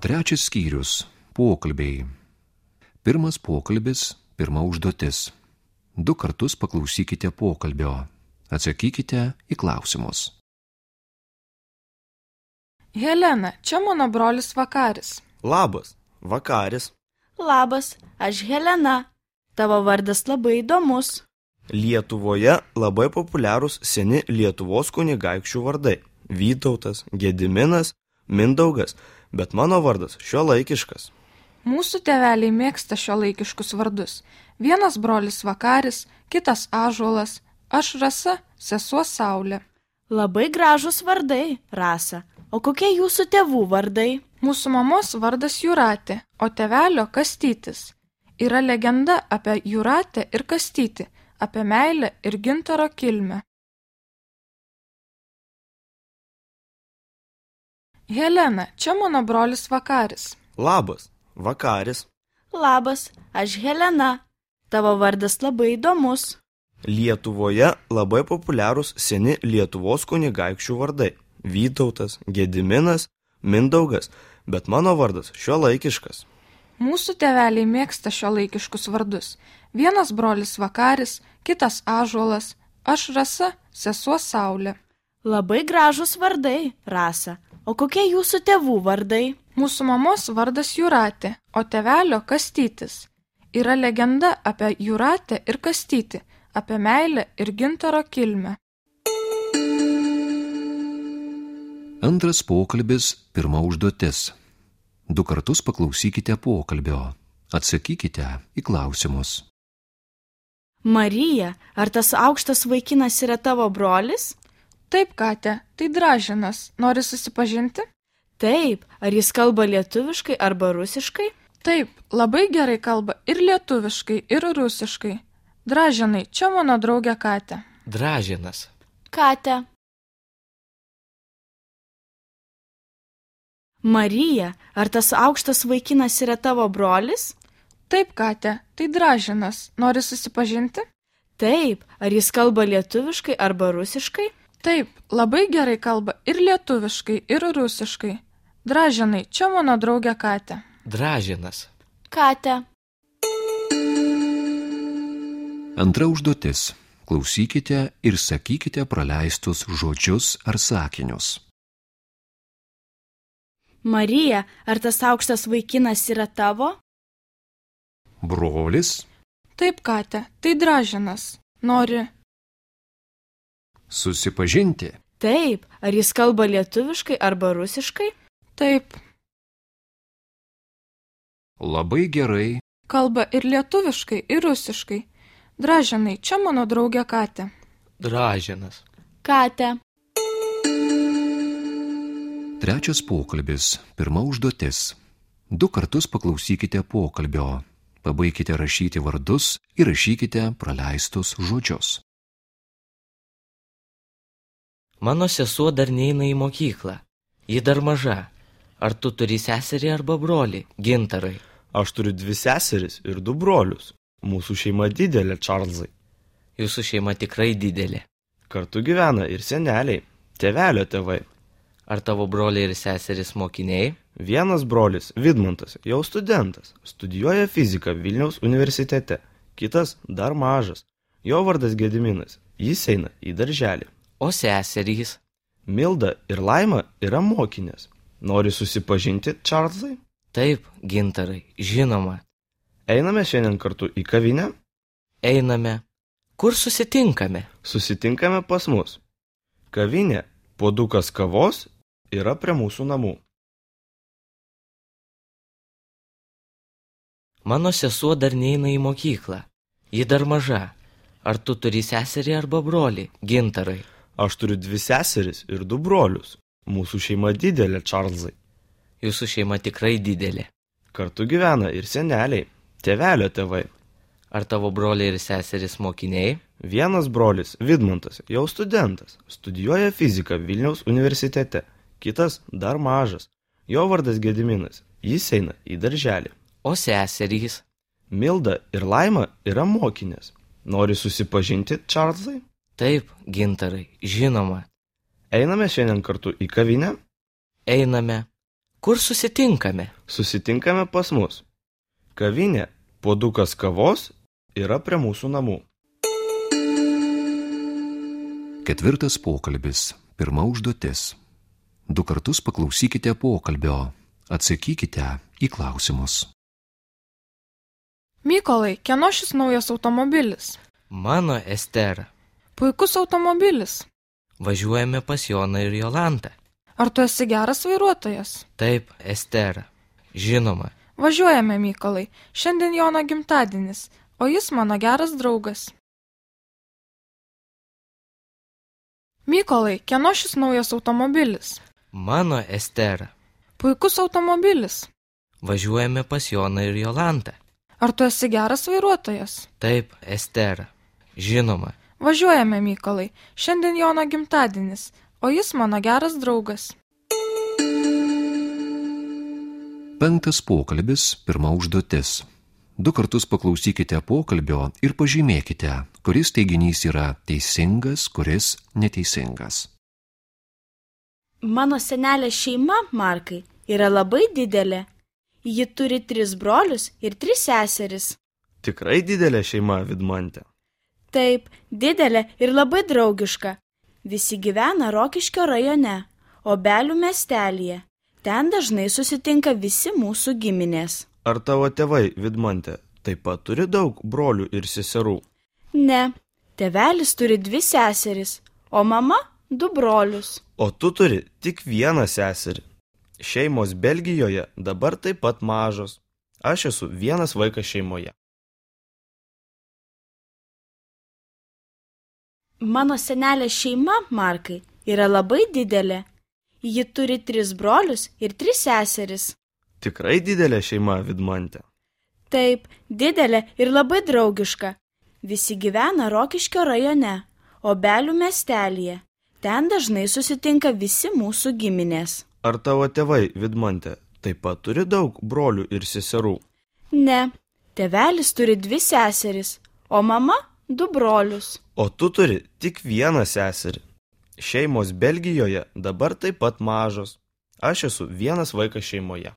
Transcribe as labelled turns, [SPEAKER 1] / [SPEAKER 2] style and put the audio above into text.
[SPEAKER 1] Trečias skyrius – pokalbiai. Pirmas pokalbis, pirma užduotis. 2 kartus paklausykite pokalbio. Atsakykite į klausimus.
[SPEAKER 2] Helena, čia mano brolis Vakaris.
[SPEAKER 3] Labas, Vakaris.
[SPEAKER 4] Labas, aš Helena. Tavo vardas labai įdomus.
[SPEAKER 3] Lietuvoje labai populiarūs seni Lietuvos kunigaikščių vardai – Vytautas, Gediminas, Mindaugas, bet mano vardas šiuolaikiškas.
[SPEAKER 2] Mūsų tėveliai mėgsta šiuolaikiškus vardus. Vienas brolis Vakaris, kitas Ąžuolas, aš Rasa, sesuo Saulė.
[SPEAKER 4] Labai gražūs vardai, Rasa. O kokie jūsų tėvų vardai?
[SPEAKER 2] Mūsų mamos vardas Jūratė, o tėvelio Kastytis. Yra legenda apie Jūratę ir Kastytį, apie meilę ir gintaro kilmę. Helena, čia mano brolis Vakaris.
[SPEAKER 3] Labas, Vakaris.
[SPEAKER 4] Labas, aš Helena. Tavo vardas labai įdomus.
[SPEAKER 3] Lietuvoje labai populiarūs seni Lietuvos kunigaikščių vardai – Vytautas, Gediminas, Mindaugas, bet mano vardas šiuolaikiškas.
[SPEAKER 2] Mūsų tėveliai mėgsta šiuolaikiškus vardus. Vienas brolis Vakaris, kitas Ąžuolas, aš Rasa, sesuo Saulė.
[SPEAKER 4] Labai gražūs vardai, Rasa. O kokie jūsų tėvų vardai?
[SPEAKER 2] Mūsų mamos vardas Jūratė, o tėvelio Kastytis. Yra legenda apie Jūratę ir Kastytį, apie meilę ir gintaro kilmę.
[SPEAKER 1] Antras pokalbis, pirma užduotis. 2 kartus paklausykite pokalbio. Atsakykite į klausimus.
[SPEAKER 4] Marija, ar tas aukštas vaikinas yra tavo brolis?
[SPEAKER 2] Taip, Katė, tai Dražinas. Nori susipažinti?
[SPEAKER 4] Taip, ar jis kalba lietuviškai arba rusiškai?
[SPEAKER 2] Taip, labai gerai kalba ir lietuviškai, ir rusiškai. Dražinai, čia mano draugė Katė.
[SPEAKER 5] Dražinas.
[SPEAKER 4] Katė. Marija, ar tas aukštas vaikinas yra tavo brolis?
[SPEAKER 2] Taip, Katė, tai Dražinas. Nori susipažinti?
[SPEAKER 4] Taip, ar jis kalba lietuviškai arba rusiškai?
[SPEAKER 2] Taip, labai gerai kalba ir lietuviškai, ir rusiškai. Dražinai, čia mano draugė Katė.
[SPEAKER 5] Dražinas.
[SPEAKER 4] Katė.
[SPEAKER 1] Antra užduotis. Klausykite ir sakykite praleistus žodžius ar sakinius.
[SPEAKER 4] Marija, ar tas aukštas vaikinas yra tavo?
[SPEAKER 1] Brolis.
[SPEAKER 2] Taip, Katė, tai Dražinas. Nori
[SPEAKER 1] susipažinti.
[SPEAKER 4] Taip, ar jis kalba lietuviškai arba rusiškai?
[SPEAKER 2] Taip.
[SPEAKER 1] Labai gerai.
[SPEAKER 2] Kalba ir lietuviškai, ir rusiškai. Dražinai, čia mano draugė Katė.
[SPEAKER 5] Dražinas.
[SPEAKER 4] Katė.
[SPEAKER 1] Trečias pokalbis, pirma užduotis. 2 kartus paklausykite pokalbio. Pabaikite rašyti vardus ir rašykite praleistus žodžius.
[SPEAKER 5] Mano sesuo dar neina į mokyklą. Ji dar maža. Ar tu turi seserį arba brolį, Gintarai?
[SPEAKER 3] Aš turiu 2 seseris ir 2 brolius. Mūsų šeima didelė, Čarlzai.
[SPEAKER 5] Jūsų šeima tikrai didelė.
[SPEAKER 3] Kartu gyvena ir seneliai, tėvelio tėvai.
[SPEAKER 5] Ar tavo broliai ir seserys mokiniai?
[SPEAKER 3] Vienas brolis, Vidmantas, jau studentas, studijuoja fiziką Vilniaus universitete. Kitas dar mažas. Jo vardas Gediminas, jis eina į darželį.
[SPEAKER 5] O seserys?
[SPEAKER 3] Milda ir Laima yra mokinės. Nori susipažinti, Čarlzai?
[SPEAKER 5] Taip, Gintarai, žinoma.
[SPEAKER 3] Einame šiandien kartu į kavinę?
[SPEAKER 5] Einame. Kur susitinkame?
[SPEAKER 3] Susitinkame pas mus. Kavinė, puodukas kavos yra prie mūsų namų.
[SPEAKER 5] Mano sesuo dar neina į mokyklą. Ji dar maža. Ar tu turi seserį arba brolį, Gintarai?
[SPEAKER 3] Aš turiu 2 seseris ir 2 brolius. Mūsų šeima didelė, Čarlzai.
[SPEAKER 5] Jūsų šeima tikrai didelė.
[SPEAKER 3] Kartu gyvena ir seneliai, tėvelio tėvai.
[SPEAKER 5] Ar tavo broliai ir seserys mokiniai?
[SPEAKER 3] Vienas brolis, Vidmantas, jau studentas, studijuoja fiziką Vilniaus universitete. Kitas dar mažas. Jo vardas Gediminas, jis eina į darželį.
[SPEAKER 5] O seserys?
[SPEAKER 3] Milda ir Laima yra mokinės. Nori susipažinti, Čarlzai?
[SPEAKER 5] Taip, Gintarai, žinoma.
[SPEAKER 3] Einame šiandien kartu į kavinę?
[SPEAKER 5] Einame. Kur susitinkame?
[SPEAKER 3] Susitinkame pas mus. Kavinė, puodukas kavos yra prie mūsų namų.
[SPEAKER 1] 4 pokalbis. 1 užduotis. 2 kartus paklausykite pokalbio. Atsakykite į klausimus.
[SPEAKER 2] Mykolai, kieno šis naujas automobilis?
[SPEAKER 5] Mano, Estera.
[SPEAKER 2] Puikus automobilis.
[SPEAKER 5] Važiuojame pas Joną ir Jolantą.
[SPEAKER 2] Ar tu esi geras vairuotojas?
[SPEAKER 5] Taip, Estera. Žinoma.
[SPEAKER 2] Važiuojame, Mykolai. Šiandien Jono gimtadienis, o jis mano geras draugas. Mykolai, kieno šis naujas automobilis?
[SPEAKER 5] Mano, Estera.
[SPEAKER 2] Puikus automobilis.
[SPEAKER 5] Važiuojame pas Joną ir Jolantą.
[SPEAKER 2] Ar tu esi geras vairuotojas?
[SPEAKER 5] Taip, Estera. Žinoma.
[SPEAKER 2] Važiuojame, Mykolai. Šiandien Jono gimtadienis, o jis mano geras draugas.
[SPEAKER 1] 5 pokalbis. 1 užduotis. 2 kartus paklausykite pokalbio ir pažymėkite, kuris teiginys yra teisingas, kuris neteisingas.
[SPEAKER 4] Mano senelės šeima, Markai, yra labai didelė. Ji turi 3 brolius ir 3 seseris.
[SPEAKER 3] Tikrai didelė šeima, Vidmante.
[SPEAKER 4] Taip, didelė ir labai draugiška. Visi gyvena Rokiškio rajone, Obelių miestelyje. Ten dažnai susitinka visi mūsų giminės.
[SPEAKER 3] Ar tavo tėvai, Vidmante, taip pat turi daug brolių ir seserų?
[SPEAKER 4] Ne, tėvelis turi 2 seseris, o mama 2 brolius.
[SPEAKER 3] O tu turi tik 1 seserį. Šeimos Belgijoje dabar taip pat mažos. Aš esu vienas vaikas šeimoje.
[SPEAKER 4] Mano senelės šeima, Markai, yra labai didelė. Ji turi 3 brolius ir 3 seseris.
[SPEAKER 3] Tikrai didelė šeima, Vidmante.
[SPEAKER 4] Taip, didelė ir labai draugiška. Visi gyvena Rokiškio rajone, Obelių miestelyje. Ten dažnai susitinka visi mūsų giminės.
[SPEAKER 3] Ar tavo tėvai, Vidmante, taip pat turi daug brolių ir seserų?
[SPEAKER 4] Ne, tėvelis turi 2 seseris, o mama 2 brolius.
[SPEAKER 3] O tu turi tik 1 seserį. Šeimos Belgijoje dabar taip pat mažos. Aš esu vienas vaikas šeimoje.